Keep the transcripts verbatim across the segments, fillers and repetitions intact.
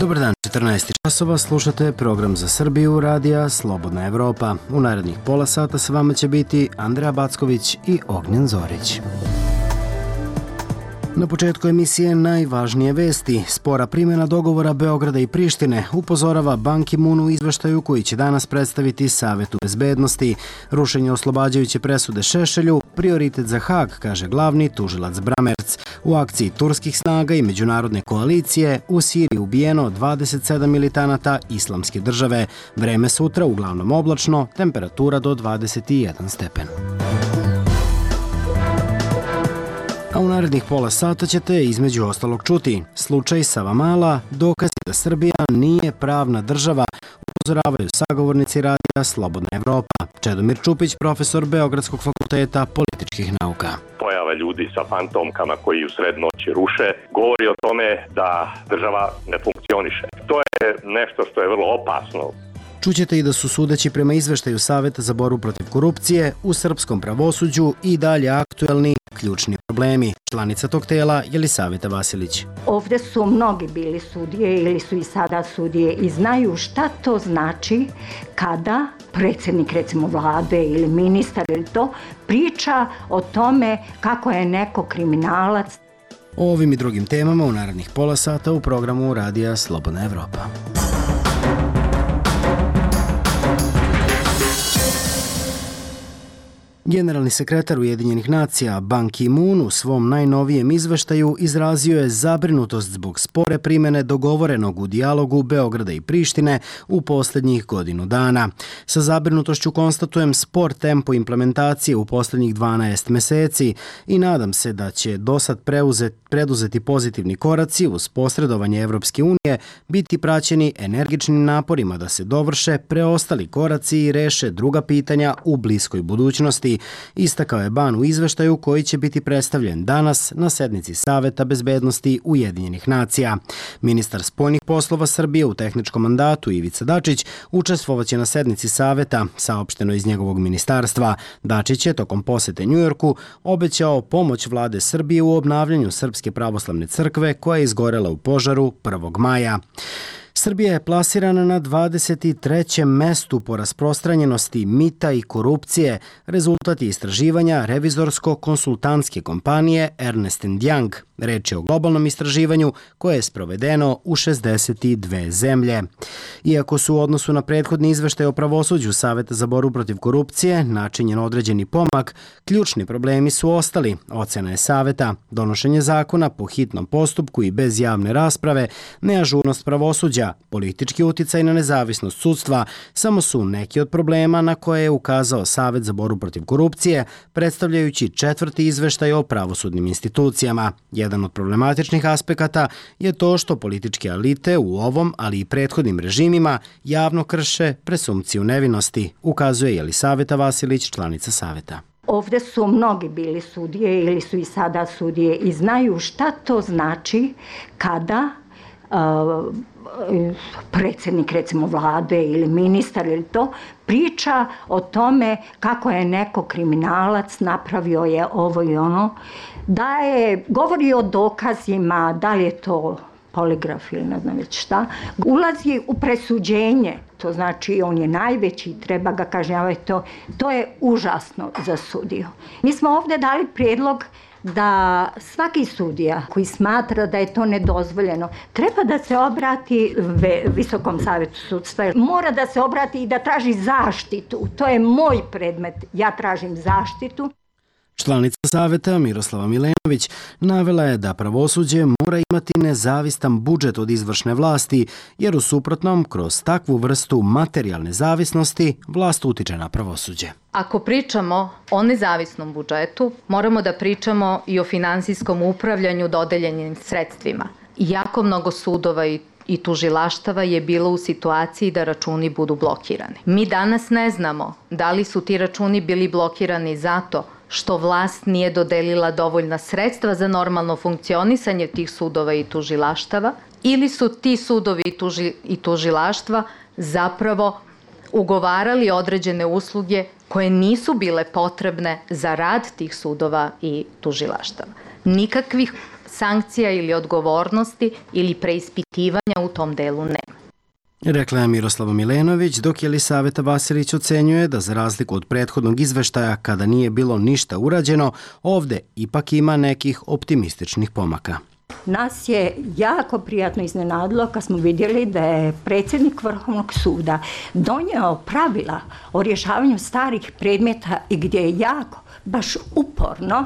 Dobar dan, četrnaest časova, slušate program za Srbiju radija Slobodna Evropa. U narednih pola sata sa vama će biti Andreja Backović i Ognjen Zorić. Na početku emisije najvažnije vesti. Spora primjena dogovora Beograda i Prištine upozorava Ban Ki-moon u izveštaju koji će danas predstaviti Savetu bezbednosti. Rušenje oslobađajuće presude Šešelju, prioritet za Hag, kaže glavni tužilac Bramerc. U akciji turskih snaga i međunarodne koalicije u Siriji ubijeno dvadeset sedam militanata Islamske države. Vreme sutra uglavnom oblačno, temperatura do dvadeset jedan stepen. A u narednih pola sata ćete između ostalog čuti slučaj Savamala, dokazi da Srbija nije pravna država, upozoravaju sagovornici radija Slobodna Evropa. Čedomir Čupić, profesor Beogradskog fakulteta političkih nauka. Pojava ljudi sa fantomkama koji u sred noći ruše govori o tome da država ne funkcioniše. To je nešto što je vrlo opasno. Čućete i da su sudeći prema izveštaju Saveta za borbu protiv korupcije u srpskom pravosuđu i dalje aktuelni ključni problemi. Članica tog tela Jelisaveta Vasilić. Ovde su mnogi bili sudije ili su i sada sudije i znaju šta to znači kada predsjednik recimo vlade ili ministar ili to priča o tome kako je neko kriminalac. O ovim i drugim temama u narednih pola sata u programu radija Slobodna Evropa. Generalni sekretar Ujedinjenih nacija Ban Ki-moon u svom najnovijem izveštaju izrazio je zabrinutost zbog spore primjene dogovorenog u dijalogu Beograda i Prištine u posljednjih godinu dana. Sa zabrinutošću konstatujem spor tempo implementacije u posljednjih dvanaest meseci i nadam se da će dosad preuzeti, preduzeti pozitivni koraci uz posredovanje Evropske unije biti praćeni energičnim naporima da se dovrše preostali koraci i reše druga pitanja u bliskoj budućnosti. Istakao je Ban u izveštaju koji će biti predstavljen danas na sednici Saveta bezbednosti Ujedinjenih nacija. Ministar spoljnih poslova Srbije u tehničkom mandatu Ivica Dačić učestvovaće na sednici Saveta, saopšteno iz njegovog ministarstva. Dačić je tokom posete Njujorku obećao pomoć vlade Srbije u obnavljanju Srpske pravoslavne crkve koja je izgorela u požaru prvog maja. Srbija je plasirana na dvadeset trećem mestu po rasprostranjenosti mita i korupcije, rezultat je istraživanja revizorsko-konsultantske kompanije Ernst and Young. Reč je o globalnom istraživanju koje je sprovedeno u šezdeset dve zemlje. Iako su u odnosu na prethodni izveštaj o pravosuđu Saveta za borbu protiv korupcije načinjen određeni pomak, ključni problemi su ostali, ocena je Saveta, donošenje zakona po hitnom postupku i bez javne rasprave, neažurnost pravosuđa, politički uticaj na nezavisnost sudstva, samo su neki od problema na koje je ukazao Savet za borbu protiv korupcije, predstavljajući četvrti izveštaj o pravosudnim institucijama. Jedan od problematičnih aspekata je to što političke elite u ovom, ali i prethodnim režimima javno krše presumpciju nevinosti, ukazuje Jelisaveta Vasilić, članica Saveta. Ovde su mnogi bili sudije ili su i sada sudije i znaju šta to znači kada uh, predsjednik recimo vlade ili ministar ili to priča o tome kako je neko kriminalac, napravio je ovo i ono, da je, govori o dokazima, da li je to poligraf ili ne znam već šta, ulazi u presuđenje, to znači on je najveći, treba ga kažnjavati, to, to je užasno za sudiju. Mi smo ovdje dali prijedlog da svaki sudija koji smatra da je to nedozvoljeno treba da se obrati Visokom savetu sudstva, mora da se obrati i da traži zaštitu. To je moj predmet, ja tražim zaštitu. Članica Saveta Miroslava Milenović navela je da pravosuđe mora imati nezavistan budžet od izvršne vlasti, jer u suprotnom, kroz takvu vrstu materijalne zavisnosti, vlast utiče na pravosuđe. Ako pričamo o nezavisnom budžetu, moramo da pričamo i o finansijskom upravljanju dodeljenim sredstvima. Jako mnogo sudova i i tužilaštava je bilo u situaciji da računi budu blokirani. Mi danas ne znamo da li su ti računi bili blokirani zato što vlast nije dodelila dovoljna sredstva za normalno funkcionisanje tih sudova i tužilaštava, ili su ti sudovi i, tuži, i tužilaštva zapravo ugovarali određene usluge koje nisu bile potrebne za rad tih sudova i tužilaštava. Nikakvih sankcija ili odgovornosti ili preispitivanja u tom delu nema. Rekla je Miroslava Milenović, dok Jelisaveta Vasilić ocenjuje da za razliku od prethodnog izveštaja kada nije bilo ništa urađeno, ovde ipak ima nekih optimističnih pomaka. Nas je jako prijatno iznenadilo kad smo vidjeli da je predsjednik Vrhovnog suda donio pravila o rješavanju starih predmeta i gdje je jako, baš uporno,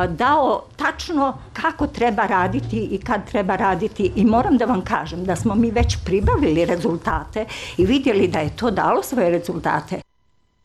dao tačno kako treba raditi i kad treba raditi i moram da vam kažem da smo mi već pribavili rezultate i vidjeli da je to dalo svoje rezultate.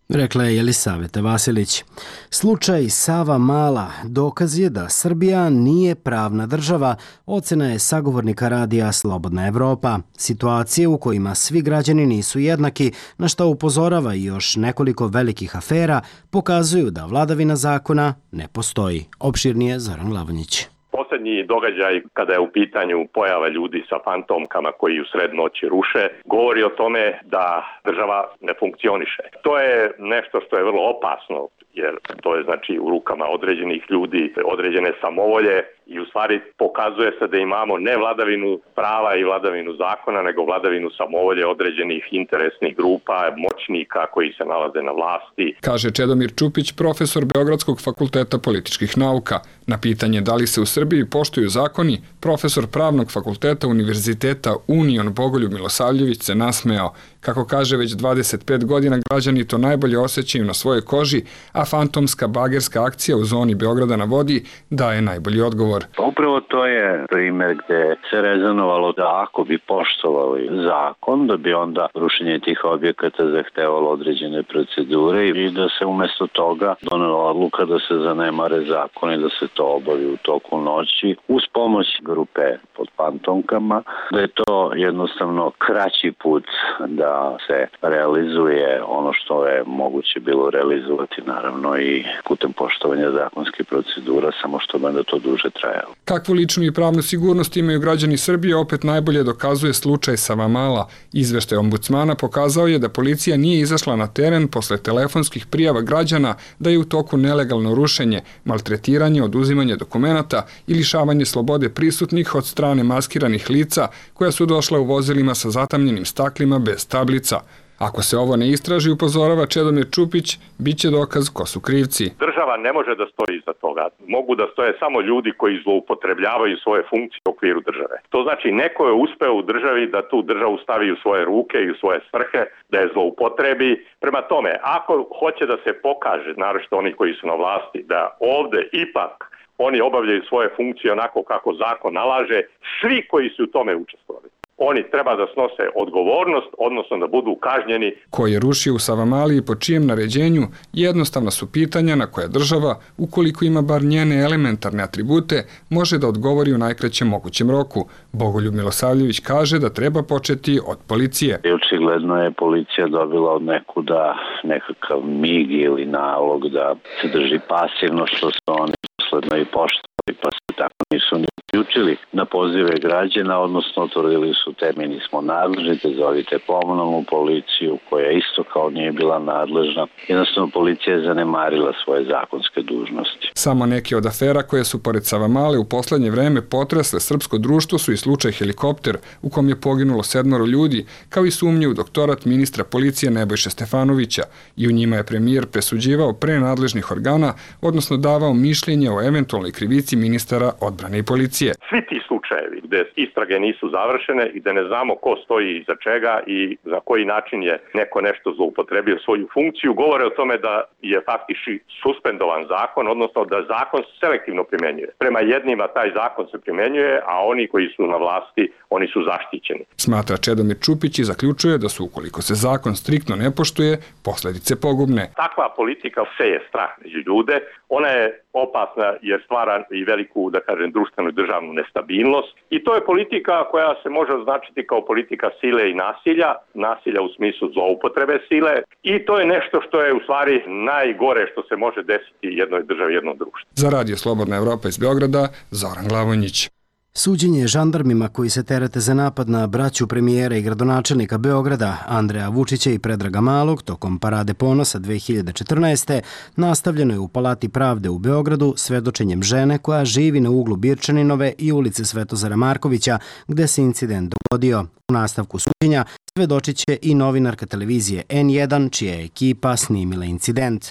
Rekla je Jelisaveta Vasilić. Slučaj Savamala dokaz je da Srbija nije pravna država, ocena je sagovornika radija Slobodna Evropa. Situacije u kojima svi građani nisu jednaki, na što upozorava i još nekoliko velikih afera, pokazuju da vladavina zakona ne postoji. Opširnije Zoran Glavonjić. Poslednji događaj kada je u pitanju pojava ljudi sa fantomkama koji u sred noći ruše, govori o tome da država ne funkcioniše. To je nešto što je vrlo opasno, jer to je znači u rukama određenih ljudi, određene samovolje i u stvari pokazuje se da imamo ne vladavinu prava i vladavinu zakona, nego vladavinu samovolje određenih interesnih grupa, moćnika koji se nalaze na vlasti. Kaže Čedomir Čupić, profesor Beogradskog fakulteta političkih nauka. Na pitanje da li se u Srbiji poštuju zakoni, profesor Pravnog fakulteta Univerziteta Union Bogoljub Milosavljević se nasmejao. Kako kaže, već dvadeset pet godina građani to najbolje osjećaju na svojoj koži, a fantomska bagerska akcija u zoni Beograda na vodi daje najbolji odgovor. Upravo to je primjer gde se rezonovalo da ako bi poštovali zakon, da bi onda rušenje tih objekata zahtevalo određene procedure i da se umjesto toga donela odluka da se zanemare zakon i da se to obavi u toku noći uz pomoć grupe pod fantomkama, da je to jednostavno kraći put da se realizuje ono što je moguće bilo realizovati, naravno i putem poštovanja zakonskih procedura, samo što bi onda to duže trajalo. Kakvu ličnu i pravnu sigurnost imaju građani Srbije opet najbolje dokazuje slučaj Savamala. Izveštaj ombudsmana pokazao je da policija nije izašla na teren posle telefonskih prijava građana da je u toku nelegalno rušenje, maltretiranje, oduzimanje dokumenata i lišavanje slobode prisutnih od strane maskiranih lica koja su došla u vozilima sa zatamljenim staklima bez tablica. Ako se ovo ne istraži, upozorava Čedomir Čupić, bit će dokaz ko su krivci. Država ne može da stoji iza toga. Mogu da stoje samo ljudi koji zloupotrebljavaju svoje funkcije u okviru države. To znači neko je uspeo u državi da tu državu stavi u svoje ruke i u svoje svrhe, da je zloupotrebi. Prema tome, ako hoće da se pokaže, naročito oni koji su na vlasti, da ovde ipak oni obavljaju svoje funkcije onako kako zakon nalaže, svi koji su u tome učestvovali, oni treba da snose odgovornost, odnosno da budu kažnjeni. Ko je rušio u Savamali i po čijem naređenju, jednostavna su pitanja na koje država, ukoliko ima bar njene elementarne atribute, može da odgovori u najkraćem mogućem roku. Bogoljub Milosavljević kaže da treba početi od policije. I očigledno je policija dobila od nekuda nekakav mig ili nalog da se drži pasivno, što su oni dosledno i poštovali, pa se tako nisu ni uključili na pozive građana, odnosno utvrdili su te mi nismo nadležni, te zovite komunalnu policiju koja isto kao nije bila nadležna. Jednostavno policija je zanemarila svoje zakonske dužnosti. Samo neke od afera koje su pored Savamale u poslednje vreme potresle srpsko društvo su i slučaj helikopter u kom je poginulo sedmoro ljudi, kao i sumnje u doktorat ministra policije Nebojše Stefanovića, i u njima je premijer presuđivao pre nadležnih organa, odnosno davao mišljenje o eventualnoj krivici ministara odbrane i policije. Svi ti slučajevi gde istrage nisu završene i gde ne znamo ko stoji iza čega i za koji način je neko nešto zloupotrebio svoju funkciju, govore o tome da je faktički suspendovan zakon, odnosno da zakon selektivno primjenjuje. Prema jednima taj zakon se primjenjuje, a oni koji su na vlasti, oni su zaštićeni. Smatra Čedomir Čupić i zaključuje da su, ukoliko se zakon striktno ne poštuje, posledice pogubne. Takva politika seje strah među ljude, ona je opasna jer stvara i veliku, da kažem, društvenu i državnu nestabilnost. I to je politika koja se može označiti kao politika sile i nasilja, nasilja u smislu zloupotrebe sile, i to je nešto što je u stvari najgore što se može desiti jednoj državi, jednom društvu. Za Radio Slobodna Evropa iz Beograda, Zoran Glavonjić. Suđenje žandarmima koji se terete za napad na braću premijera i gradonačelnika Beograda Andreja Vučića i Predraga Malog tokom Parade ponosa dve hiljade četrnaeste. nastavljeno je u Palati pravde u Beogradu svedočenjem žene koja živi na uglu Birčaninove i ulice Svetozara Markovića gde se incident dogodio. U nastavku suđenja svedočit će i novinarka televizije en jedan čija je ekipa snimila incident.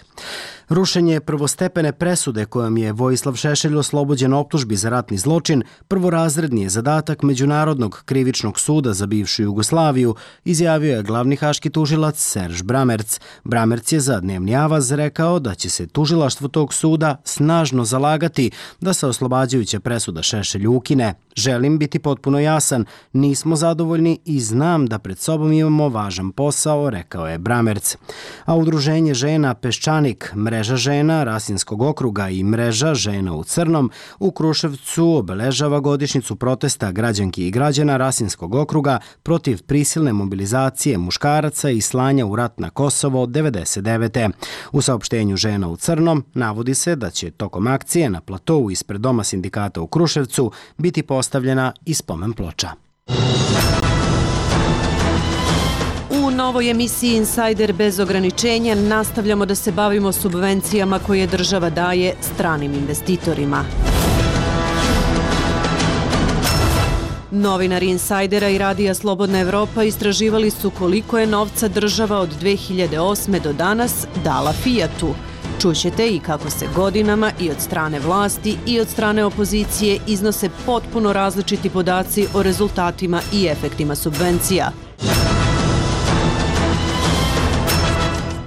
Rušenje prvostepene presude kojom je Vojislav Šešelj oslobođen optužbi za ratni zločin prvorazredni je zadatak Međunarodnog krivičnog suda za bivšu Jugoslaviju, izjavio je glavni haški tužilac Serž Bramerc. Bramerc je za Dnevni avaz rekao da će se tužilaštvo tog suda snažno zalagati da se oslobađajuća presuda Šešelju ukine. Želim biti potpuno jasan, nismo zadovoljni i znam da pred sobom imamo važan posao, rekao je Bramerc. A udruženje žena Peščanik, mreža žena Rasinskog okruga i mreža žena u crnom u Kruševcu obeležava godišnjicu protesta građanki i građana Rasinskog okruga protiv prisilne mobilizacije muškaraca i slanja u rat na Kosovo devedeset devete. U saopštenju žena u crnom navodi se da će tokom akcije na platovu ispred Doma sindikata u Kruševcu biti postavljena i spomen ploča. U novoj emisiji Insider bez ograničenja nastavljamo da se bavimo subvencijama koje država daje stranim investitorima. Novinari Insajdera i Radija Slobodna Evropa istraživali su koliko je novca država od dve hiljade osme do danas dala Fijatu. Čućete i kako se godinama i od strane vlasti i od strane opozicije iznose potpuno različiti podaci o rezultatima i efektima subvencija.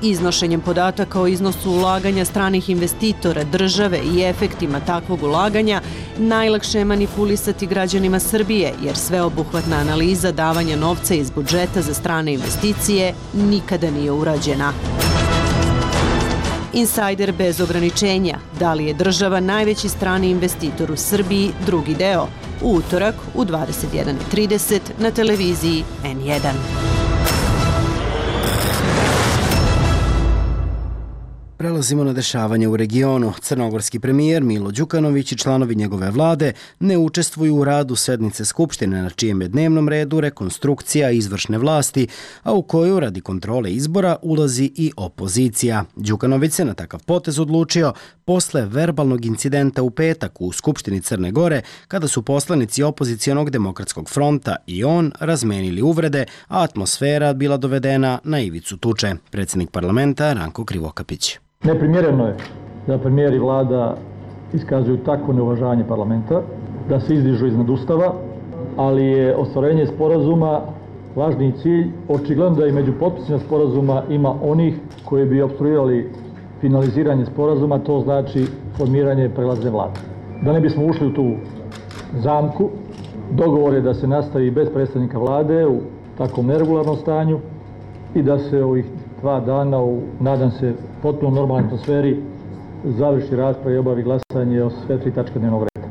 Iznošenjem podataka o iznosu ulaganja stranih investitora, države i efektima takvog ulaganja najlakše je manipulisati građanima Srbije, jer sveobuhvatna analiza davanja novca iz budžeta za strane investicije nikada nije urađena. Insajder bez ograničenja. Da li je država najveći strani investitor u Srbiji? Drugi deo. U utorak u dvadeset jedan i trideset na televiziji en jedan. Prelazimo na dešavanje u regionu. Crnogorski premijer Milo Đukanović i članovi njegove vlade ne učestvuju u radu sednice Skupštine na čijem je dnevnom redu rekonstrukcija izvršne vlasti, a u koju radi kontrole izbora ulazi i opozicija. Đukanović se na takav potez odlučio posle verbalnog incidenta u petak u Skupštini Crne Gore, kada su poslanici opozicionog demokratskog fronta i on razmenili uvrede, a atmosfera bila dovedena na ivicu tuče. Predsjednik parlamenta Ranko Krivokapić. Neprimjereno je da premijer i vlada iskazuju takvo neuvažanje parlamenta, da se izdižu iznad Ustava, ali je ostvarenje sporazuma važniji cilj. Očigledno da i među potpisima sporazuma ima onih koji bi opstruirali finaliziranje sporazuma, to znači formiranje prelazne vlade. Da ne bismo ušli u tu zamku, dogovor je da se nastavi bez predstavnika vlade u takvom neregularnom stanju i da se ovih dva dana u, nadam se, potpuno normalnoj atmosferi završi rasprava i obavi glasanje o sve tri tačke dnevnog reda.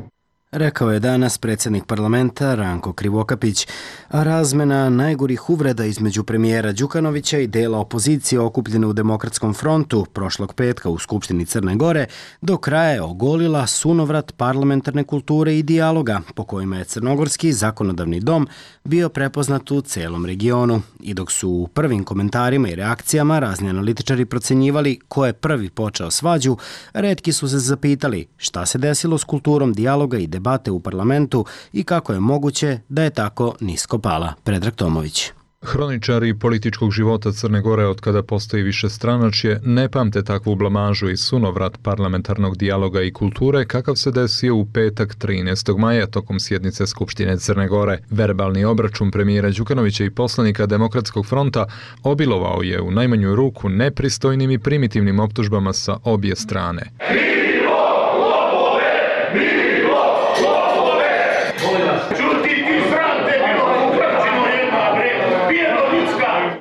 Rekao je danas predsjednik parlamenta Ranko Krivokapić, a razmena najgorih uvreda između premijera Đukanovića i dela opozicije okupljene u Demokratskom frontu prošlog petka u Skupštini Crne Gore do kraja je ogolila sunovrat parlamentarne kulture i dijaloga po kojima je Crnogorski zakonodavni dom bio prepoznat u celom regionu. I dok su u prvim komentarima i reakcijama razni analitičari procenjivali ko je prvi počeo svađu, retki su se zapitali šta se desilo s kulturom dijaloga i debate u parlamentu i kako je moguće da je tako nisko pala. Predrag Tomović. Hroničari političkog života Crne Gore od kada postoji više stranačje ne pamte takvu blamažu i sunovrat parlamentarnog dijaloga i kulture kakav se desio u petak trinaestog maja tokom sjednice Skupštine Crne Gore. Verbalni obračun premijera Đukanovića i poslanika Demokratskog fronta obilovao je u najmanju ruku nepristojnim i primitivnim optužbama sa obje strane.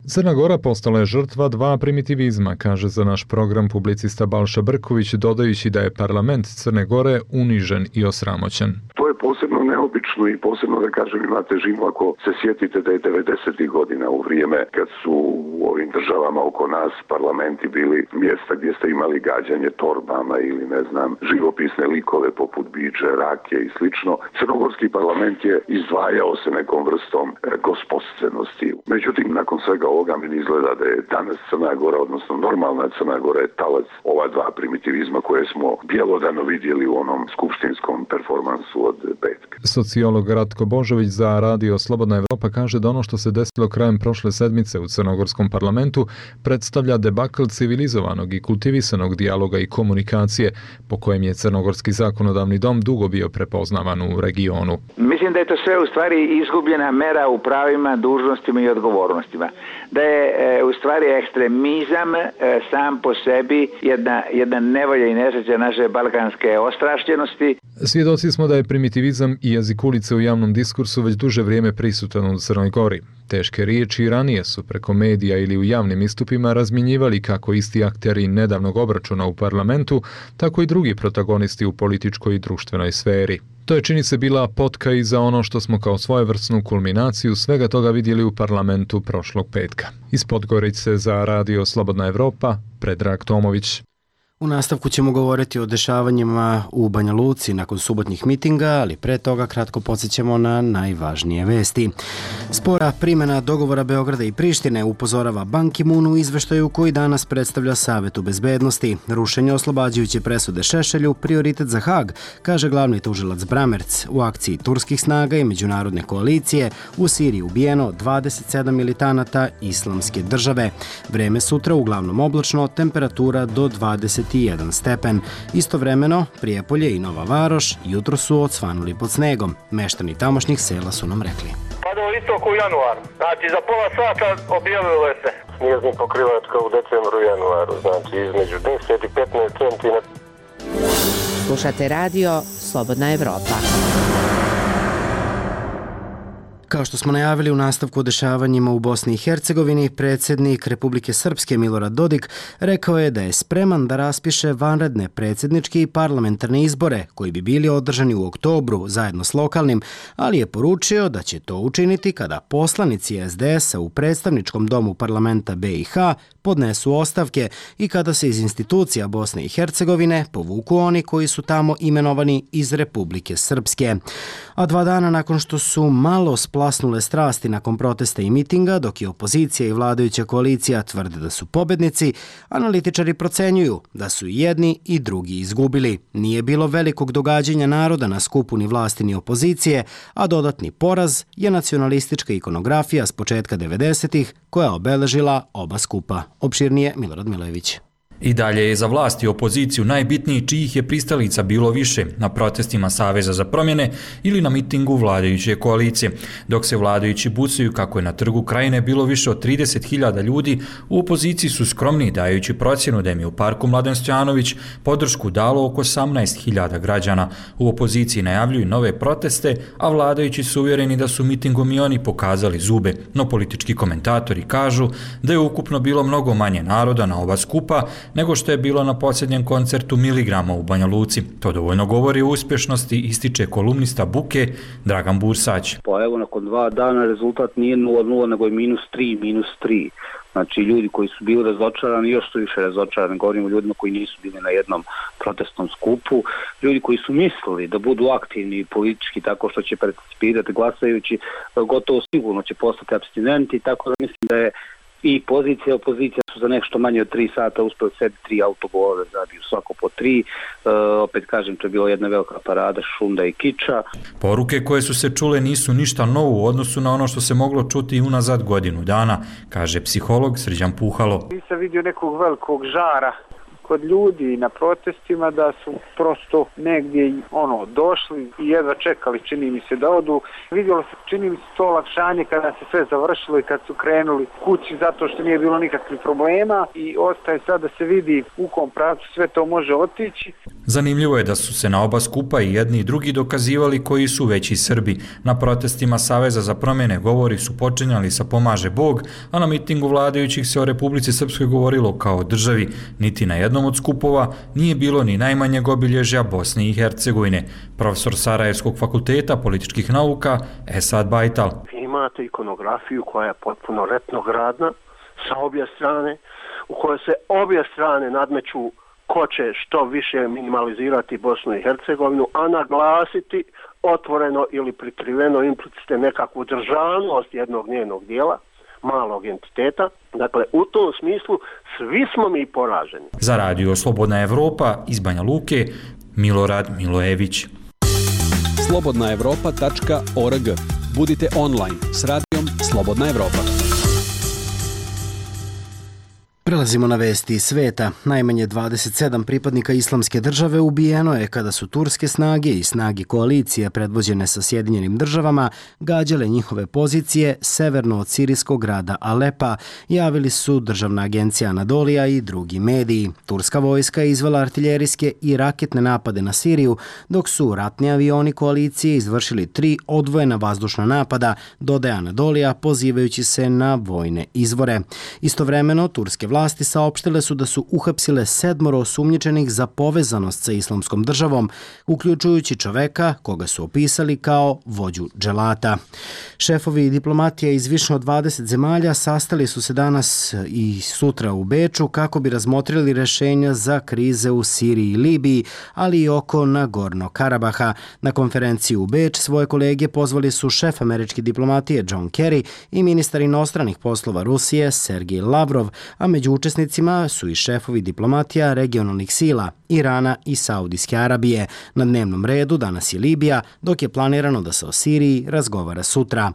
Crna Gora postala je žrtva dva primitivizma, kaže za naš program publicista Balša Brković, dodajući da je parlament Crne Gore unižen i osramoćen. To je posebno neophodno neobičnu i posebno da kažem ima težinu ako se sjetite da je devedesetih godina u vrijeme kad su u ovim državama oko nas parlamenti bili mjesta gdje ste imali gađanje torbama ili ne znam živopisne likove poput biđe, rake i slično. Crnogorski parlament je izdvajao se nekom vrstom gospodstvenosti. Međutim, nakon svega ovoga mi izgleda da je danas Crna Gora, odnosno normalna Crna Gora je talac ova dva primitivizma koje smo bjelodano vidjeli u onom skupštinskom performansu od petka. Sociolog Ratko Božović za Radio Slobodna Evropa kaže da ono što se desilo krajem prošle sedmice u crnogorskom parlamentu predstavlja debakl civilizovanog i kultivisanog dijaloga i komunikacije po kojem je crnogorski zakonodavni dom dugo bio prepoznavan u regionu. Mislim da je to sve u stvari izgubljena mera u pravima, dužnostima i odgovornostima. Da je e, u stvari ekstremizam e, sam po sebi jedna, jedna nevolja i nesreća naše balkanske ostrašćenosti. Svjedoci smo da je primitivizam i jezik ulice u javnom diskursu već duže vrijeme prisutan u Crnoj Gori. Teške riječi ranije su preko medija ili u javnim istupima razmjenjivali kako isti akteri nedavnog obračuna u parlamentu, tako i drugi protagonisti u političkoj i društvenoj sferi. To je čini se bila potka i za ono što smo kao svojevrsnu kulminaciju svega toga vidjeli u parlamentu prošlog petka. Iz Podgorice za Radio Slobodna Evropa, Predrag Tomović. U nastavku ćemo govoriti o dešavanjima u Banja Luci nakon subotnjih mitinga, ali pre toga kratko podsjećamo na najvažnije vesti. Spora primjena dogovora Beograda i Prištine upozorava Ban Ki-moon u izveštaju koji danas predstavlja Savetu bezbednosti. Rušenje oslobađajuće presude Šešelju prioritet za Hag, kaže glavni tužilac Bramerc. U akciji turskih snaga i međunarodne koalicije u Siriji ubijeno dvadeset sedam militanata Islamske države. Vreme sutra uglavnom oblačno, temperatura do dvadeset jedan stepen. Istovremeno, Prijepolje i Nova Varoš jutro su odsvanuli pod snegom. Meštani tamošnjih sela su nam rekli. Padao istok u januar. Znači, za pola sata objavilo se. Snježni pokrivač kao u decembru i januaru. Znači, između deset i petnaest centimetara. Slušate radio Slobodna Evropa. Kao što smo najavili u nastavku o dešavanjima u Bosni i Hercegovini, predsjednik Republike Srpske Milorad Dodik rekao je da je spreman da raspiše vanredne predsjedničke i parlamentarne izbore koji bi bili održani u oktobru zajedno s lokalnim, ali je poručio da će to učiniti kada poslanici es de es a u predstavničkom domu parlamenta be i ha podnesu ostavke i kada se iz institucija Bosne i Hercegovine povuku oni koji su tamo imenovani iz Republike Srpske. A dva dana nakon što su malo splasnule strasti nakon protesta i mitinga, dok je opozicija i vladajuća koalicija tvrde da su pobednici, analitičari procenjuju da su i jedni i drugi izgubili. Nije bilo velikog događanja naroda na skupu ni vlasti ni opozicije, a dodatni poraz je nacionalistička ikonografija s početka devedesetih koja obeležila oba skupa. Opširnije Milorad Milojević. I dalje je za vlast i opoziciju najbitniji čijih je pristalica bilo više na protestima Saveza za promjene ili na mitingu vladajuće koalicije. Dok se vladajući bucaju kako je na trgu Krajine bilo više od trideset hiljada ljudi, u opoziciji su skromni dajući procjenu da im je u parku Mladen Stojanović podršku dalo oko osamnaest hiljada građana. U opoziciji najavljuju nove proteste, a vladajući su uvjereni da su mitingom i oni pokazali zube. No politički komentatori kažu da je ukupno bilo mnogo manje naroda na oba skupa nego što je bilo na posljednjem koncertu Miligrama u Banja Luci. To dovoljno govori o uspješnosti, ističe kolumnista Buke Dragan Bursać. Pa evo, nakon dva dana rezultat nije nula nula, nego je minus tri, minus tri. Znači, ljudi koji su bili razočarani, još su više razočarani, govorimo o ljudima koji nisu bili na jednom protestnom skupu, ljudi koji su mislili da budu aktivni politički tako što će participirati glasajući, gotovo sigurno će postati apstinenti, tako da mislim da je i pozicija i opozicija su za nešto manje od tri sata uspeli sebi tri autogole, zabiju svako po tri. E, opet kažem, to je bila jedna velika parada šunda i kiča. Poruke koje su se čule nisu ništa novo u odnosu na ono što se moglo čuti i unazad godinu dana, kaže psiholog Srđan Puhalo. Nisam vidio nekog velikog žara kod ljudi na protestima, da su prosto negdje ono došli i jedva čekali, čini mi se, da odu. Vidjelo se, čini mi se, to olakšanje kada se sve završilo i kad su krenuli kući zato što nije bilo nikakvih problema i ostaje sad da se vidi u kom pravcu sve to može otići. Zanimljivo je da su se na oba skupa i jedni i drugi dokazivali koji su veći Srbi. Na protestima Saveza za promjene govori su počinjali sa Pomaže Bog, a na mitingu vladajućih se o Republici Srpskoj govorilo kao o državi. Niti na jednom od skupova nije bilo ni najmanjeg obilježja Bosne i Hercegovine. Profesor Sarajevskog fakulteta političkih nauka Esad Bajtal. Imate ikonografiju koja je potpuno retrogradna sa obje strane, u kojoj se obje strane nadmeću ko će što više minimalizirati Bosnu i Hercegovinu, a naglasiti otvoreno ili prikriveno implicite nekakvu državnost jednog njenog dijela, malog entiteta. Dakle, u tom smislu svi smo mi poraženi. Za radio Slobodna Evropa iz Banja Luke, Milorad Milojević. slobodna evropa tačka org. Budite online s radijom Slobodna Evropa. Prelazimo na vesti iz sveta. Najmanje dvadeset sedam pripadnika Islamske države ubijeno je kada su turske snage i snage koalicije predvođene sa Sjedinjenim državama gađale njihove pozicije severno od sirijskog grada Alepa, javili su Državna agencija Anadolija i drugi mediji. Turska vojska je izvela artiljerijske i raketne napade na Siriju, dok su ratni avioni koalicije izvršili tri odvojena vazdušna napada, dodaje Anadolija, pozivajući se na vojne izvore. Istovremeno, turske vlasti saopštile su da su uhapsile sedmoro osumnjičenih za povezanost sa Islamskom državom, uključujući čoveka koga su opisali kao vođu dželata. Šefovi diplomatije iz više od dvadeset zemalja sastali su se danas i sutra u Beču kako bi razmotrili rešenja za krize u Siriji i Libiji, ali i oko Nagorno Karabaha. Na konferenciju u Beč svoje kolege pozvali su šef američke diplomatije John Kerry i ministar inostranih poslova Rusije Sergej Lavrov, a među učesnicima su i šefovi diplomatija regionalnih sila Irana i Saudijske Arabije. Na dnevnom redu danas je Libija, dok je planirano da se o Siriji razgovara sutra.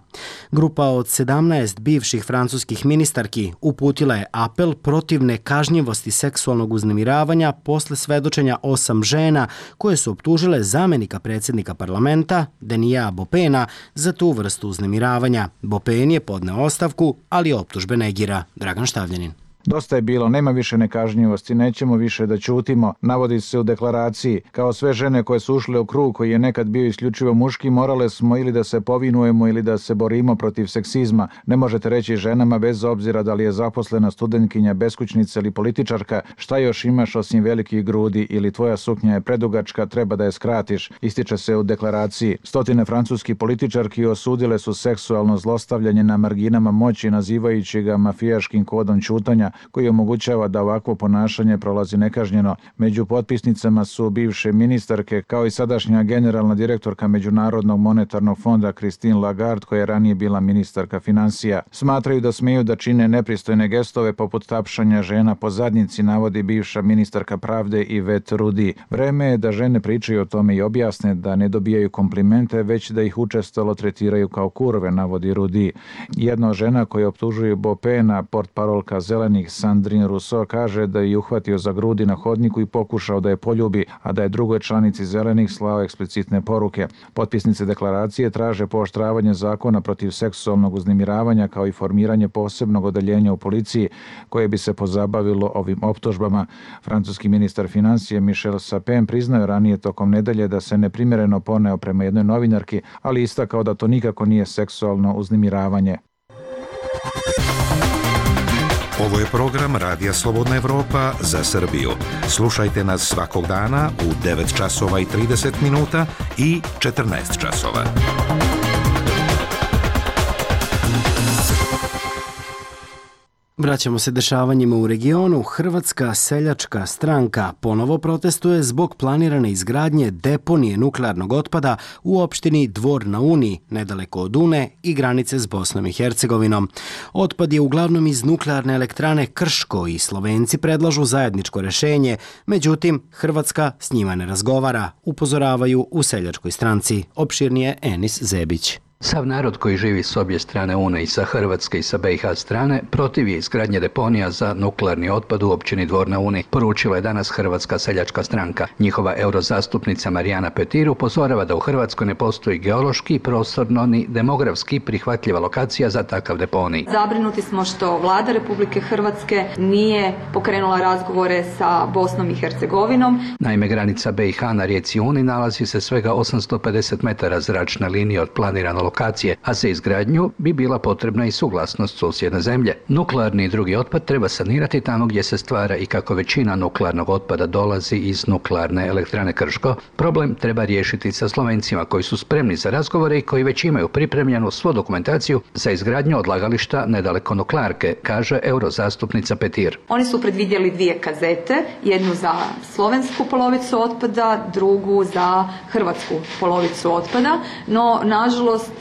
Grupa od sedamnaest bivših francuskih ministarki uputila je apel protiv nekažnjivosti seksualnog uznemiravanja posle svedočenja osam žena koje su optužile zamenika predsjednika parlamenta Denija Bopena za tu vrstu uznemiravanja. Bopen je podneo ostavku, ali optužbe negira. Dragan Štavljanin. Dosta je bilo, nema više nekažnjivosti, nećemo više da ćutimo, navodi se u deklaraciji. Kao sve žene koje su ušle u krug koji je nekad bio isključivo muški, morale smo ili da se povinujemo ili da se borimo protiv seksizma. Ne možete reći ženama, bez obzira da li je zaposlena studentkinja, beskućnica ili političarka, šta još imaš osim velikih grudi ili tvoja suknja je predugačka, treba da je skratiš, ističe se u deklaraciji. Stotine francuskih političarki osudile su seksualno zlostavljanje na marginama moći, nazivajući ga mafijaškim kodom ćutanja, koji omogućava da ovakvo ponašanje prolazi nekažnjeno. Među potpisnicama su bivše ministarke, kao i sadašnja generalna direktorka Međunarodnog monetarnog fonda Christine Lagarde, koja je ranije bila ministarka financija. Smatraju da smeju da čine nepristojne gestove poput tapšanja žena po zadnjici, navodi bivša ministarka pravde Yvette Roudy. Vreme je da žene pričaju o tome i objasne da ne dobijaju komplimente, već da ih učestalo tretiraju kao kurve, navodi Roudy. Jedna od žena koja optužuje Bopena, portparolka Zelenih Sandrine Rousseau, kaže da je uhvatio za grudi na hodniku i pokušao da je poljubi, a da je drugoj članici Zelenih slao eksplicitne poruke. Potpisnice deklaracije traže pooštravanje zakona protiv seksualnog uznemiravanja kao i formiranje posebnog odeljenja u policiji koje bi se pozabavilo ovim optužbama. Francuski ministar financije Michel Sapin priznao ranije tokom nedelje da se neprimjereno poneo prema jednoj novinarki, ali istakao da to nikako nije seksualno uznemiravanje. Ovo je program Radija Slobodna Evropa za Srbiju. Slušajte nas svakog dana u devet časova i trideset minuta i četrnaest časova. Vraćamo se dešavanjima u regionu. Hrvatska seljačka stranka ponovo protestuje zbog planirane izgradnje deponije nuklearnog otpada u opštini Dvor na Uni, nedaleko od Une i granice s Bosnom i Hercegovinom. Otpad je uglavnom iz nuklearne elektrane Krško i Slovenci predlažu zajedničko rešenje, međutim Hrvatska s njima ne razgovara, upozoravaju u seljačkoj stranci. Opširnije Enis Zebić. Sav narod koji živi s obje strane Une, i sa Hrvatske i sa B i H strane, protiv je izgradnje deponija za nuklearni otpad u općini Dvor na Uni, poručila je danas Hrvatska seljačka stranka. Njihova eurozastupnica Marijana Petir upozorava da u Hrvatskoj ne postoji geološki, prostorno ni demografski prihvatljiva lokacija za takav deponij. Zabrinuti smo što vlada Republike Hrvatske nije pokrenula razgovore sa Bosnom i Hercegovinom. Naime, granica B i H na rijeci Uni nalazi se svega osamsto pedeset metara zračne linije od planirane lokacije, a za izgradnju bi bila potrebna i suglasnost susjedne zemlje. Nuklearni i drugi otpad treba sanirati tamo gdje se stvara i kako većina nuklearnog otpada dolazi iz nuklearne elektrane Krško, problem treba riješiti sa Slovencima koji su spremni za razgovore i koji već imaju pripremljenu svu dokumentaciju za izgradnju odlagališta nedaleko nuklearke, kaže eurozastupnica Petir. Oni su predvidjeli dvije kazete, jednu za slovensku polovicu otpada, drugu za hrvatsku polovicu otpada, no nažalost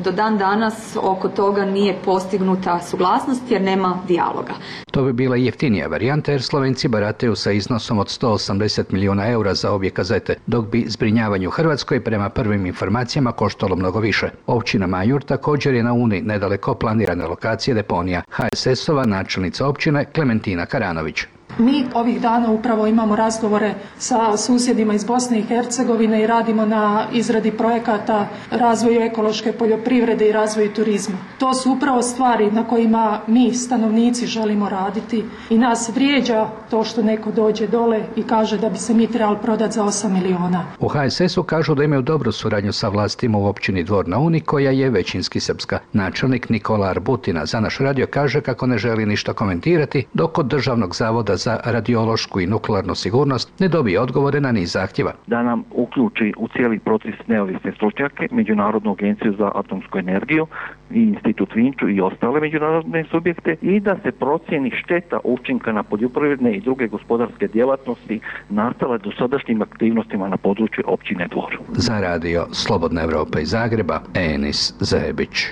do dan danas oko toga nije postignuta suglasnost jer nema dijaloga. To bi bila jeftinija varijanta jer Slovenci barataju sa iznosom od sto osamdeset milijuna eura za obje kazete, dok bi zbrinjavanje u Hrvatskoj prema prvim informacijama koštalo mnogo više. Općina Majur također je na Uni nedaleko planirane lokacije deponija. H S S-ova načelnica općine Klementina Karanović. Mi ovih dana upravo imamo razgovore sa susjedima iz Bosne i Hercegovine i radimo na izradi projekata razvoju ekološke poljoprivrede i razvoju turizma. To su upravo stvari na kojima mi stanovnici želimo raditi i nas vrijeđa to što neko dođe dole i kaže da bi se mi trebali prodati za osam miliona. U H S S-u kažu da imaju dobru suradnju sa vlastima u općini Dvor na Uni koja je većinski srpska. Načelnik Nikola Arbutina za naš radio kaže kako ne želi ništa komentirati dok od Državnog zavoda za radiološku i nuklearnu sigurnost ne dobije odgovore na niz zahtjeva. Da nam uključi u cijeli proces neovisne stručnjake, Međunarodnu agenciju za atomsku energiju i Institut Vinču i ostale međunarodne subjekte i da se procjeni šteta učinka na poljoprivredne i druge gospodarske djelatnosti nastale dosadašnjim aktivnostima na području općine Dvor. Za radio Slobodna Evropa iz Zagreba, Enis Zebić.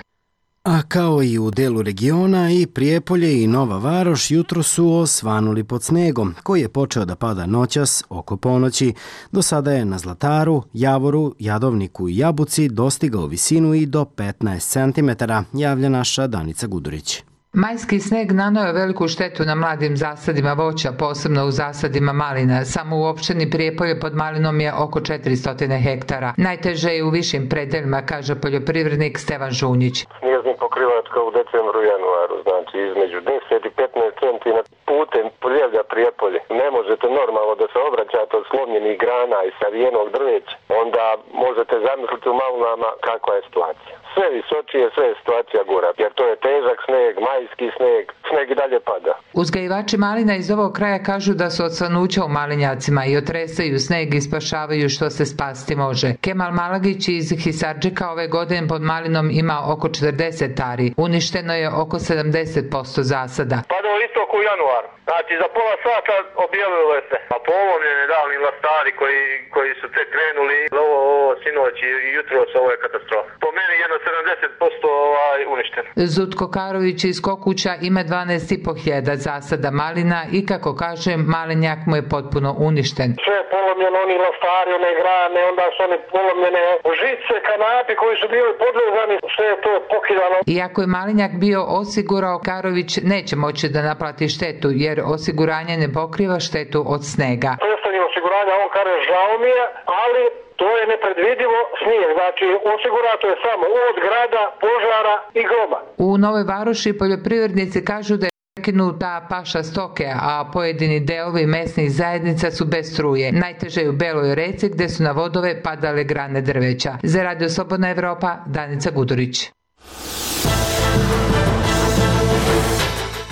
A kao i u delu regiona, i Prijepolje i Nova Varoš jutro su osvanuli pod snegom, koji je počeo da pada noćas oko ponoći. Do sada je na Zlataru, Javoru, Jadovniku i Jabuci dostigao visinu i do petnaest centimetara, javlja naša Danica Gudurić. Majski sneg naneo je veliku štetu na mladim zasadima voća, posebno u zasadima malina. Samo u opštini Prijepolje pod malinom je oko četiristo hektara. Najteže je u višim predeljima, kaže poljoprivrednik Stevan Žunjić. Snijeznik pokrivačka u decembru i januaru, znači između deset i petnaest centimetara putem Poljevlja Prijepolje. Ne možete normalno da se obraćate od slomljenih grana i savijenog drveća, onda možete zamisliti u malinama kakva je situacija. Sve visočije, sve je situacija gora, jer to je težak sneg, majski sneg, sneg i dalje pada. Uzgajivači malina iz ovog kraja kažu da su od svanuća u malinjacima i otresaju sneg i spašavaju što se spasti može. Kemal Malagić iz Hisardžika ove godine pod malinom ima oko četrdeset ari. Uništeno je oko sedamdeset posto zasada. Pada u istoku u januar. Znači za pola sata objavilo se. A polomljeni davni lastari koji, koji su tek krenuli, ovo, ovo sinoć i jutros, ovo je katastrofa. Po meni jedno sedamdeset posto ovaj, uništeno. Zutko Karović iz Kokuća ima dvanaest i po hiljada zasada malina i kako kaže, malinjak mu je potpuno uništen. Sve je polomljeno, oni lastari, one grane, onda su oni polomljene žice, kanapi koji su bili podvezani, sve je to pokidano. Iako je malinjak bio osigurao, Karović neće moći da naplati štetu jer osiguranje ne pokriva štetu od snega. Predstavnik osiguranja, on kaže žao mi je, ali to je nepredvidivo snijeg, znači osigurato je samo od grada, požara i groba. U Novoj Varoši poljoprivrednici kažu da je prekinuta paša stoke, a pojedini delovi mesnih zajednica su bez struje. Najteže je u Beloj reci gde su na vodove padale grane drveća. Za Radio Slobodna Evropa, Danica Gudurić.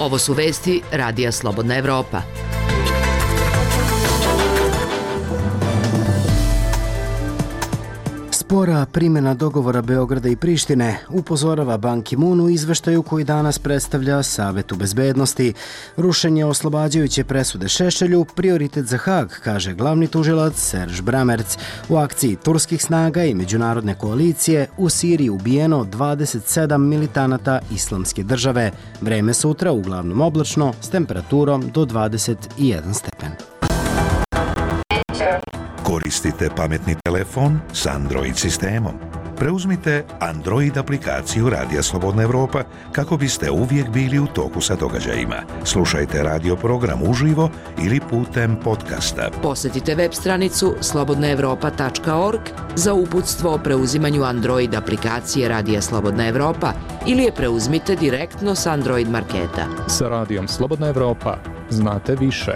Ovo su vesti Radija Slobodna Evropa. Spora primjena dogovora Beograda i Prištine, upozorava Ban Ki-moon u izveštaju koji danas predstavlja Savetu bezbednosti. Rušenje oslobađajuće presude Šešelju prioritet za Haag, kaže glavni tužilac Serž Bramerc. U akciji turskih snaga i međunarodne koalicije u Siriji ubijeno dvadeset sedam militanata Islamske države. Vreme sutra uglavnom oblačno s temperaturom do dvadeset jedan stepen. Koristite pametni telefon s Android sistemom. preuzmite Android aplikaciju Radija Slobodna Evropa kako biste uvijek bili u toku sa događajima. Slušajte radio program uživo ili putem podcasta. Posjetite web stranicu slobodna evropa tačka org za uputstvo o preuzimanju Android aplikacije Radija Slobodna Evropa ili je preuzmite direktno s Android marketa. Sa Radijom Slobodna Evropa znate više.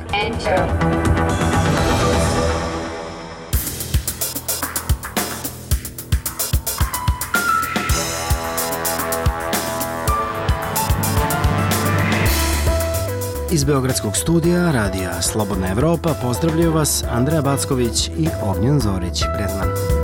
Iz Beogradskog studija Radija Slobodna Evropa pozdravljaju vas Andreja Backović i Ognjen Zorić Bredman.